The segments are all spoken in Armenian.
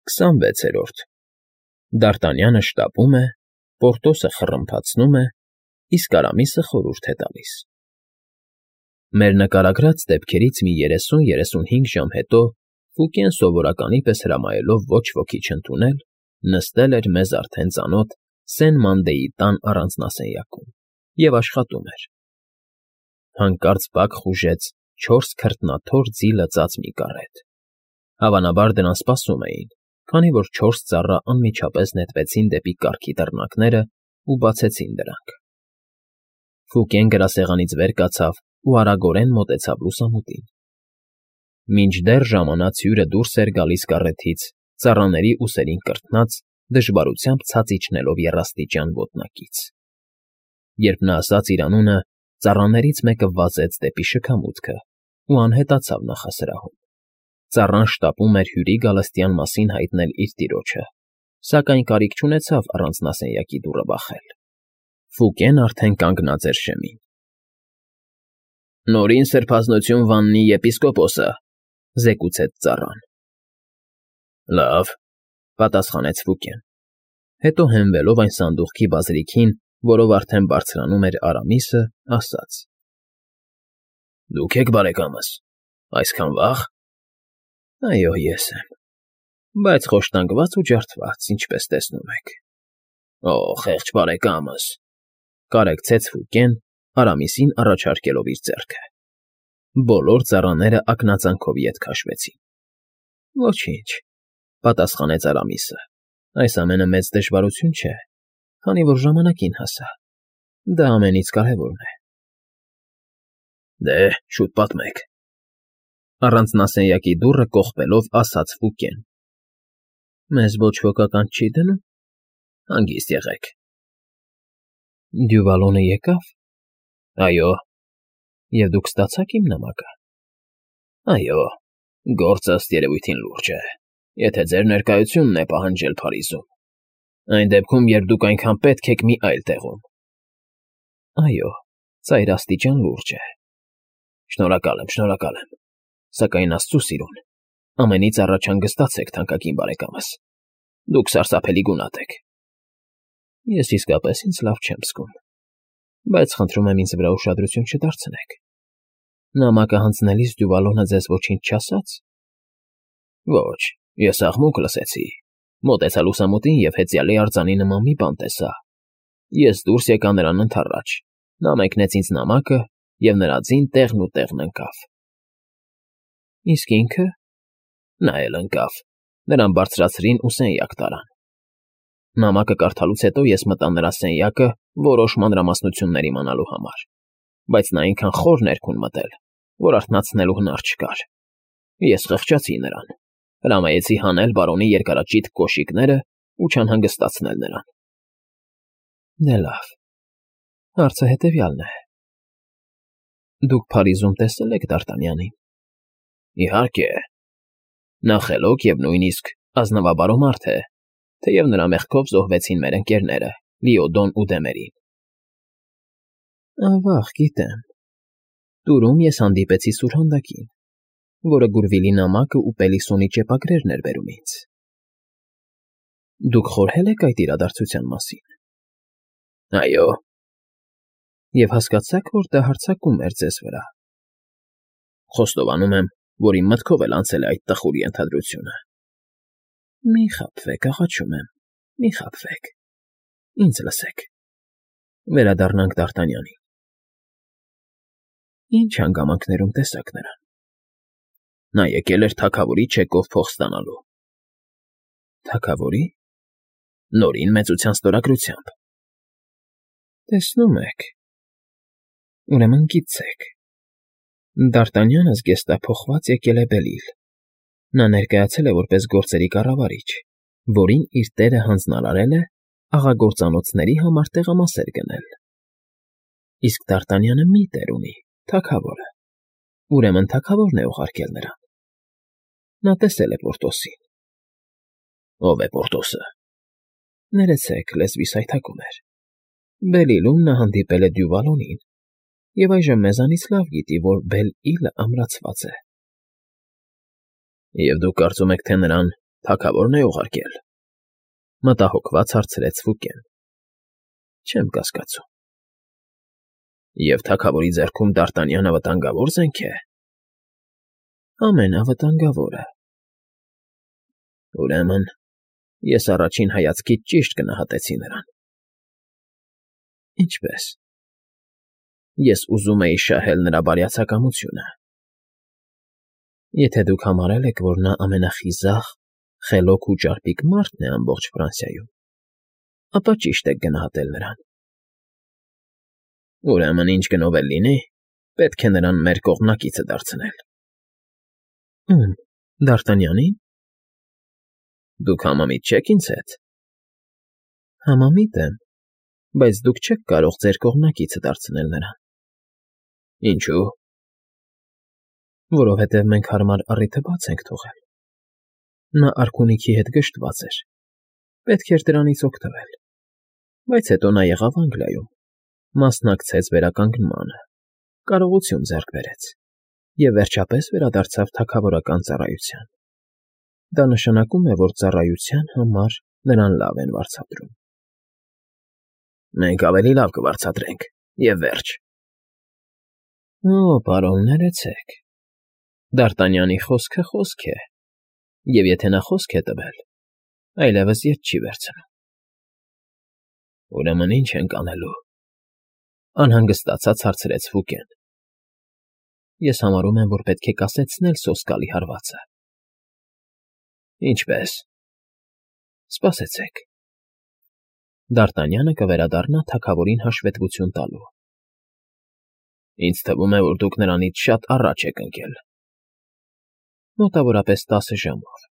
26-րդ Դարտանյանը շտապում է, Պորտոսը խռմփացնում է, իսկ Արամիսը խորհուրդ է տալիս։ Մեր նկարագրած դեպքերից մի 30-35 ժամ հետո Ֆուկեն սովորականի պես հրամայելով ոչ ոքի չընդունել, նստել էր մեզ արդեն ծանոթ Սեն֊Մանդեի տան առանձնասենյակում և աշխատում էր։ Հանկարծ բակ խուժեց 4 քրտնաթոր ձի լծած մի կառետ։ Հավանաբար դրան սպասում էին, քանի որ 4 ծառա անմիջապես նետվեցին դեպի կառքի դռնակներն ու բացեցին դրանք։ Ֆուկեն գրասեղանից վեր կացավ ու արագորեն մոտեցավ լուսամուտին։ Մինչդեռ ժամանած հյուրը դուրս էր գալիս կառեթից, ծառաների ուսերին կրթնած, դժվարությամբ ցած իջնելով եռաստիճան ոտնակից։ Երբ նա ասաց իր անունը, ծառաներից մեկը վազեց դեպի շքամուտքը ու անհետացավ նախասրահում։ Ծառան շտապում էր հյուրի գալստյան մասին հայտնել իր տիրոջը, սակայն կարիք չունեցավ առանձնասենյակի դուռը բախել։ Ֆուկեն արդեն կանգնած էր շեմին։ Նորին սրբազնություն վաննի եպիսկոպոսը, զեկուցեց ծառան։ Լավ, պատասխանեց Ֆուկեն։ Հետո հենվելով այն սանդուղքի բազրիքին, որով արդեն բարձրանում էր Արամիսը, ասաց. Դուք եք բարեկամս, այսքան վաղ։ Այո, ես եմ, բայց խոշտանգված ու ջարդված, ինչպես տեսնում եք։ Օ, խեղճ բարեկամս, կարեկցեց Ֆուկեն, Արամիսին առաջարկելով իր ձեռքը։ Բոլոր ծառաները ակնածանքով ետ քաշվեցին։ Ոչինչ, պատասխանեց Արամիսը, այս ամենը մեծ դժվարություն չէ, քանի որ ժամանակին հասա։ Դա ամենից կարևորն է։ Դե, շուտ պատմեք։ Առանձնասենյակի դուռը կողպելով ասաց Ֆուկեն։ Մեզ ոչ ոք ականջ չի դնում։ Հանգիստ եղեք։ Դյուվալոնը եկավ։ Այո։ Եվ դուք ստացաք իմ նամակը։ Այո, գործը ըստ երևույթին լուրջ է, եթե ձեր ներկայությունն է պահանջել Փարիզում։ Այն դեպքում, երբ դուք այնքան պետք եք մի այլ տեղում։ Այո, ծայրաստիճան լուրջ է։ Շնորհակալ եմ, սակայն Աստծու սիրուն, ամենից առաջ հանգստացեք, թանկագին բարեկամս։ Դուք սարսափելի գունատ եք։ Ես իսկապես ինձ լավ չեմ զգում, բայց խնդրում եմ ինձ վրա ուշադրություն չդարձնեք։ Նամակը հանձնելիս Դյուվալոնը ձեզ ոչինչ չասաց։ Ոչ, ես աղմուկ լսեցի, մոտեցա լուսամուտին և հեծյալի արձանի նման մի բան տեսա։ Ես դուրս եկա նրան ընդառաջ, նա մեկնեց ինձ նամակը և նրա ձին տեղն ու տեղն ընկավ։ Իսկ ինքը։ Նա էլ ընկավ, նրան բարձրացրին ու սենյակ տարան։ Նամակը կարդալուց հետո ես մտա նրա սենյակը որոշ մանրամասնություններ իմանալու համար, բայց նա այնքան խոր ներքուն մտել, որ արթնացնելու հնար չկար։ Ես խղճացի նրան, հրամայեցի հանել բարոնի երկարաճիտ կոշիկները ու չանհանգստացնել նրան։ Դե լավ, հարցը հետևյալն է. Դուք Փարիզում տեսել եք Դարտանյանին։ Իհարկե։ Նա խելոք և նույնիսկ ազնվաբարո մարդ է, թեև նրա մեղքով զոհվեցին մեր ընկերները Լիոդոն ու Դեմերին։ Ավաղ, գիտեմ։ Տուրում ես հանդիպեցի սուրհանդակին, որը Գուրվիլի նամակը ու Պելիսոնի ճեպագրերն էր բերում ինձ։ Դուք խորհել եք այդ իրադարձության մասին։ Այո։ Եվ հասկացաք, որ դա հարձակում էր ձեզ վրա։ Խոստովանում եմ, որ իմ մտքով էլ անցել է այդ տխուր ենթադրությունը։ Մի խաբվեք, աղաչում եմ, մի խաբվեք։ Ինձ լսեք։ Վերադառնանք Դարտանյանին։ Ինչ հանգամանքներում տեսաք նրան։ Նա եկել էր թագավորի չեկով փող ստանալու։ Թագավորի։ Նորին մեծության ստորագրությամբ։ Տեսնում եք։ Ուրեմն գիտեք։ Դարտանյանը զգեստափոխված եկել է Բելիլ։ Նա ներկայացել է որպես գործերի կառավարիչ, որին իր տերը հանձնարարել է աղագործանոցների համար տեղամասեր գնել։ Իսկ Դարտանյանը մի տեր ունի, թագավորը։ Ուրեմն թագավորն է ուղարկել նրան։ Նա տեսել է Պորտոսին։ Ո՞վ է Պորտոսը։ Ներեցեք, լեզվիս հայթակում էր։ Բելիլում նա հանդիպել է Դյուվալոնին, և այժմ մեզանից լավ գիտի, որ Բել֊Իլը ամրացված է։ Եվ դուք կարծում եք, թե նրան թագավորն է ուղարկել,֊ մտահոգված հարցրեց Ֆուկեն։ Չեմ կասկածում։ Եվ թագավորի ձեռքում Դ'Արտանյանը վտանգավոր զենք է։ Ամենավտանգավորը։ Ուրեմն, ես առաջին հայացքից ճիշտ գնահատեցի նրան։ Ինչպե՞ս։ Ես ուզում էի շահել նրա բարյացակամությունը։ Եթե դուք համարել եք, որ նա ամենախիզախ, խելոք ու ճարպիկ մարդն է ամբողջ Ֆրանսիայում, ապա ճիշտ եք գնահատել նրան։ Ուրեմն, ինչ գնով էլ լինի, պետք է նրան մեր կողմնակիցը դարձնել։ Ում, Դ'Արտանյանին։ Դուք համամիտ չեք ինձ հետ։ Համամիտ եմ, բայց դուք չեք կարող ձեր կողմնակիցը դարձնել նրան։ Ինչու՞։ Որովհետև մենք հարմար առիթը բաց ենք թողել։ Նա արքունիքի հետ գժտված էր։ Պետք էր դրանից օգտվել։ Բայց հետո նա եղավ Անգլիայում, մասնակցեց վերականգնմանը, կարողություն ձեռք բերեց և վերջապես վերադարձավ թագավորական ծառայության։ Դա նշանակում է, որ ծառայության համար նրան լավ են վարձատրում։ Մենք ավելի լավ կվարձատրենք, և վերջ։ Օ, պարոն, ներեցեք։ Դ'Արտանյանի խոսքը խոսք է, և եթե նա խոսք է տվել, այլևս ետ չի վերցնում։ Ուրեմն ինչ ենք անելու,֊ անհանգստացած հարցրեց Ֆուկեն։ Ես համարում եմ, որ պետք է կասեցնել սոսկալի հարվածը։ Ինչպե՞ս։ Սպասեցեք։ Դ'Արտանյանը կվերադառնա թագավորին հաշվետվություն տալու։ Ինձ թվում է, որ դուք նրանից շատ առաջ եք ընկել։ Մոտավորապես 10 ժամով։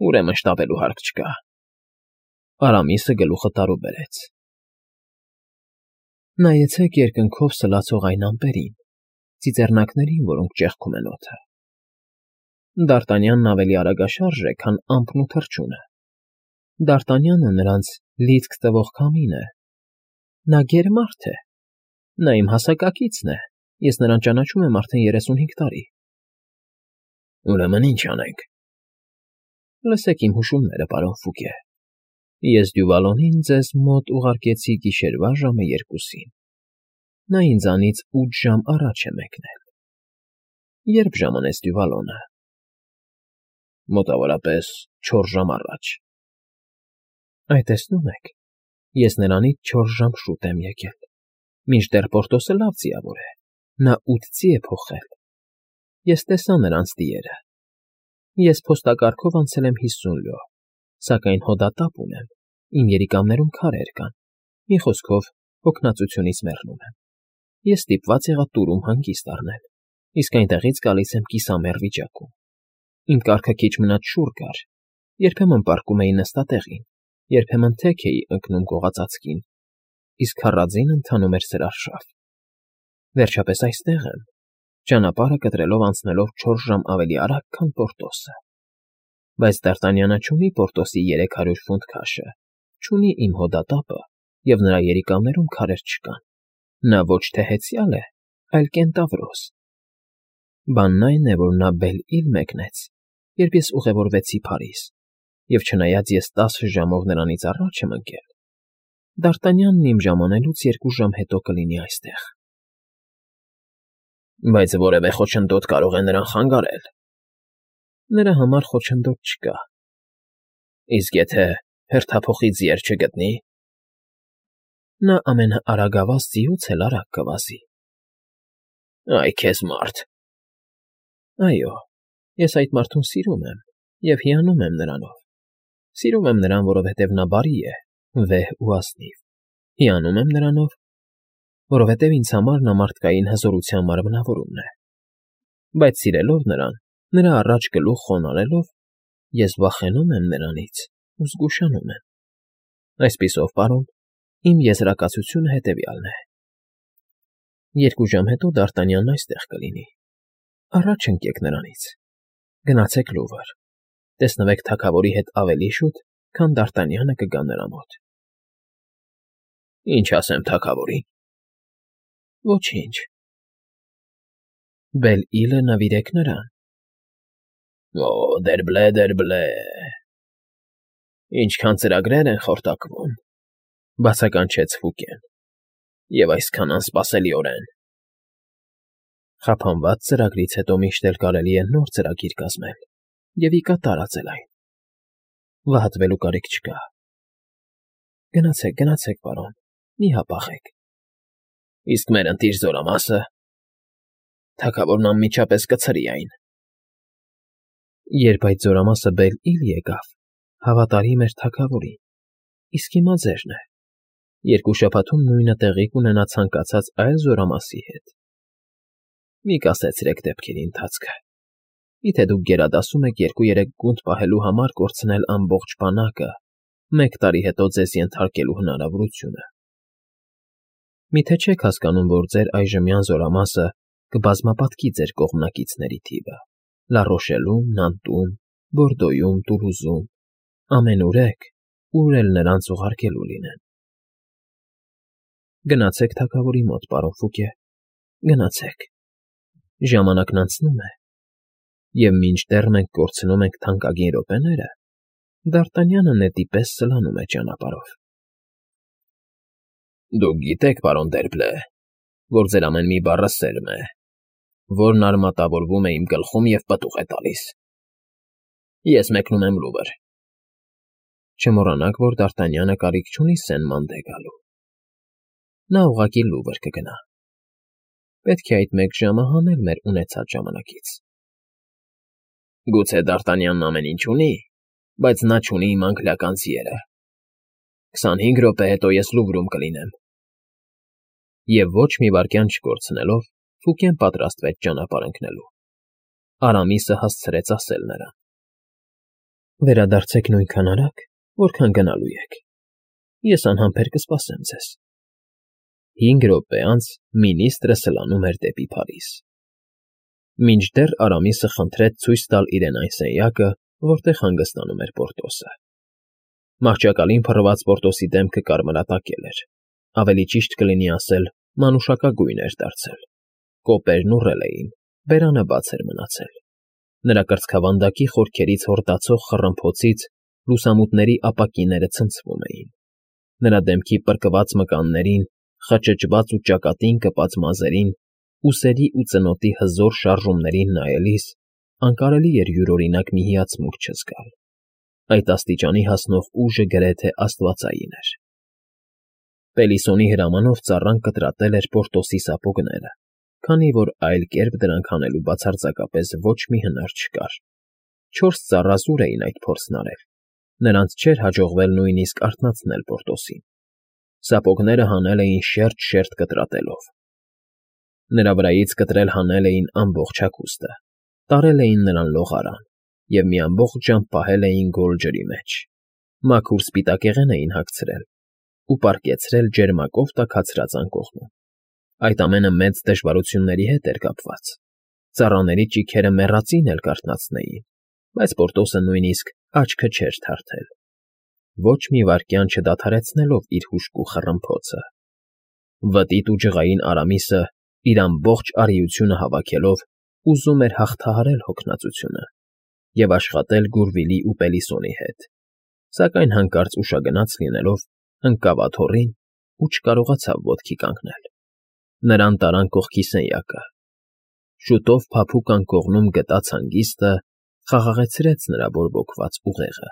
Ուրեմն շտապելու հարկ չկա։ Արամիսը գլուխը տարու բերեց։ Նայեցեք երկնքով սլացող այն ամպերին, ծիծեռնակներին, որոնք ճեղքում են օդը։ Դ'Արտանյանն ավելի արագաշարժ է, քան ամպն ու թռչունը։ Դ'Արտանյանը նրանց լիցք տվող քամին է։ Նա գերմարդ է։ Նա իմ հասակակիցն է, ես նրան ճանաչում եմ արդեն 35 տարի։ Ուրեմն ինչ անենք։ Լսեք իմ հուշումները, պարոն Ֆուկե։ Ես Դյուվալոնին ձեզ մոտ ուղարկեցի գիշերվա ժամը 2-ին։ Նա ինձանից 8 ժամ առաջ է մեկնել։ Ե՞րբ ժամանեց Դյուվալոնը։ Մոտավորապես 4 ժամ առաջ։ Այ տեսնում եք, ես նրանից 4 ժամ շուտ եմ եկել։ Մինչդեռ Պորտոսը լավ ձիավոր է, նա 8 ձի է փոխել։ Ես տեսա նրանց դիերը։ Ես փոստակարգով անցել եմ 50 լյո, սակայն հոդատապ ունեմ, իմ երիկամներում քարեր կան, մի խոսքով հոգնածությունից մեռնում եմ։ Ես ստիպված եղա տուրում հանգիստ առնել, իսկ այնտեղից գալիս եմ կիսամեռ վիճակում։ Իմ կառքը քիչ մնաց շուռ գար, երբեմն պառկում էի նստատեղին, երբեմն թեք էի ընկնում կողածածկին, իսկ քառաձին ընթանում էր սրարշավ։ Վերջապես այստեղ եմ, ճանապարհը կտրելով անցնելով 4 ժամ ավելի արագ, քան Պորտոսը։ Բայց Դ'Արտանյանը չունի Պորտոսի 300 ֆունտ քաշը, չունի իմ հոդատապը, և նրա երիկամներում քարեր չկան։ Նա ոչ թե հեծյալ է, այլ կենտավրոս։ Բանն այն է, որ նա Բել֊Իլ մեկնեց, երբ ես ուղևորվեցի Փարիզ, և չնայած ես 10 ժամով նրանից առաջ եմ ընկել, Դ'Արտանյանն իմ ժամանելուց 2 ժամ հետո կլինի այստեղ։ Բայց որևէ խոչընդոտ կարող է նրան խանգարել։ Նրա համար խոչընդոտ չկա։ Իսկ եթե հերթափոխի ձիեր չգտնի։ Նա ամենաարագավազ ձիուց էլ արագ կվազի։ Այ քեզ մարդ։ Այո, ես այդ մարդուն սիրում եմ և հիանում եմ նրանով։ Սիրում եմ նրան, որովհետև նա բարի է, վեհ ու ազնիվ։ Հիանում եմ նրանով, որովհետև ինձ համար նա մարդկային հզորության մարմնավորումն է։ Բայց սիրելով նրան, նրա առաջ գլուխ խոնարհելով, ես վախենում եմ նրանից ու զգուշանում եմ։ Այսպիսով, պարոն, իմ եզրակացությունը հետևյալն է. 2 ժամ հետո Դ'Արտանյանն այստեղ կլինի։ Առաջ ընկեք նրանից։ Գնացեք Լուվր։ Տեսնվեք թագավորի հետ ավելի շուտ, քան Դ'Արտանյանը կգա նրա մոտ։ Ինչ ասեմ թագավորին։ Ոչինչ։ Բել֊Իլը նվիրեք նրան։ Օ, դերբլե, դերբլե։ Ինչքան ծրագրեր են խորտակվում, բացականչեց Ֆուկեն, և այսքան անսպասելիորեն։ Խափանված ծրագրից հետո միշտ էլ կարելի է նոր ծրագիր կազմել և ի կատար ածել այն։ Վհատվելու կարիք չկա։ Գնացեք, պարոն, մի հապաղեք։ Իսկ մեր ընտիր զորամասը… Թագավորն անմիջապես կցրի այն։ Երբ այդ զորամասը Բել֊Իլ եկավ, հավատարիմ էր թագավորին, իսկ հիմա ձերն է։ 2 շաբաթում նույնը տեղի կունենա ցանկացած այլ զորամասի հետ։ Մի կասեցրեք դեպքերի ընթացքը։ Եթե դուք գերադասում եք 2-3 գունդ պահելու համար կորցնել ամբողջ բանակը, 1 տարի հետո ձեզ ենթարկելու հնարավորությունը։ Միթե չեք հասկանում, որ ձեր այժմյան զորամասը կբազմապատկի ձեր կողմնակիցների թիվը Լառոշելում, Նանտում, Բորդոյում, Տուլուզում, ամենուր եք, ուր էլ նրանց ուղարկելու լինեն։ Գնացեք թագավորի մոտ, պարոն Ֆուկե, գնացեք։ Ժամանակն անցնում է, և մինչդեռ մենք կորցնում ենք թանկագին րոպեները, Դ'Արտանյանը նետի պես սլանում է ճանապարհով։ Դուք գիտեք, պարոն Դերբլե, որ ձեր ամեն մի բառը սերմ է, որն արմատավորվում է իմ գլխում և պտուղ է տալիս։ Ես մեկնում եմ Լուվր։ Չմոռանաք, որ Դ'Արտանյանը կարիք չունի Սեն֊Մանդե գալու։ Նա ուղղակի Լուվր կգնա։ Պետք է այդ 1 ժամը հանել մեր ունեցած ժամանակից։ Գուցե Դ'Արտանյանն ամեն ինչ ունի, բայց նա չունի իմ անգլիական ձիերը։ 25 րոպե հետո ես Լուվրում կլինեմ։ Եվ ոչ մի վայրկյան չկորցնելով, Ֆուկեն պատրաստվեց ճանապարհ ընկնելու։ Արամիսը հասցրեց ասել նրան. Վերադարձեք նույնքան արագ, որքան գնալու եք։ Ես անհամբեր կսպասեմ ձեզ։ 5 րոպե անց մինիստրը սլանում էր դեպի Փարիզ։ Մինչդեռ Արամիսը խնդրեց ցույց տալ իրեն այն սենյակը, որտեղ հանգստանում էր Պորտոսը։ Մահճակալին փռված Պորտոսի դեմքը կարմրատակել էր, ավելի ճիշտ կլինի ասել, մանուշակագույն էր դարձել։ Կոպերն ուռել էին, բերանը բաց էր մնացել։ Նրա կրծքավանդակի խորքերից հորդացող խռմփոցից լուսամուտների ապակիները ցնցվում էին։ Նրա դեմքի պրկված մկաններին, խճճված ու ճակատին կպած մազերին, ուսերի ու ծնոտի հզոր շարժումներին նայելիս անկարելի էր յուրօրինակ մի հիացմունք չզգալ։ Այդ աստիճանի հասնող ուժը գրեթե աստվածային էր։ Պելիսոնի հրամանով ծառան կտրատել էր Պորտոսի սապոգները, քանի որ այլ կերպ դրանք հանելու բացարձակապես ոչ մի հնար չկար։ 4 ծառազուր էին այդ փորձն արել։ Նրանց չէր հաջողվել նույնիսկ արթնացնել Պորտոսին։ Սապոգները հանել էին շերտ կտրատելով։ Նրա վրայից կտրել հանել էին ամբողջ հագուստը, տարել էին նրան լողարան և մի ամբողջ ժամ պահել էին գոլ ջրի մեջ։ Մաքուր սպիտակեղեն էին հագցրել ու պառկեցրել ջերմակով տաքացրած անկողնում։ Այդ ամենը մեծ դժվարությունների հետ էր կապված։ Ծառաների ճիգերը մեռածին էլ կարթնացնեին, բայց Պորտոսը նույնիսկ աչքը չէր թարթել, ոչ մի վայրկյան չդադարեցնելով իր հուժկու խռմփոցը։ Վտիտ ու ջղային Արամիսը իր ամբողջ արիությունը հավաքելով ուզում էր հաղթահարել հոգնածությունը և աշխատել Գուրվիլի ու Պելիսոնի հետ, սակայն հանկարծ ուշագնաց լինելով ընկավ աթոռին ու չկարողացավ ոտքի կանգնել։ Նրան տարան կողքի սենյակը։ Շուտով փափուկ անկողնում գտած հանգիստը խաղաղեցրեց նրա բորբոքված ուղեղը։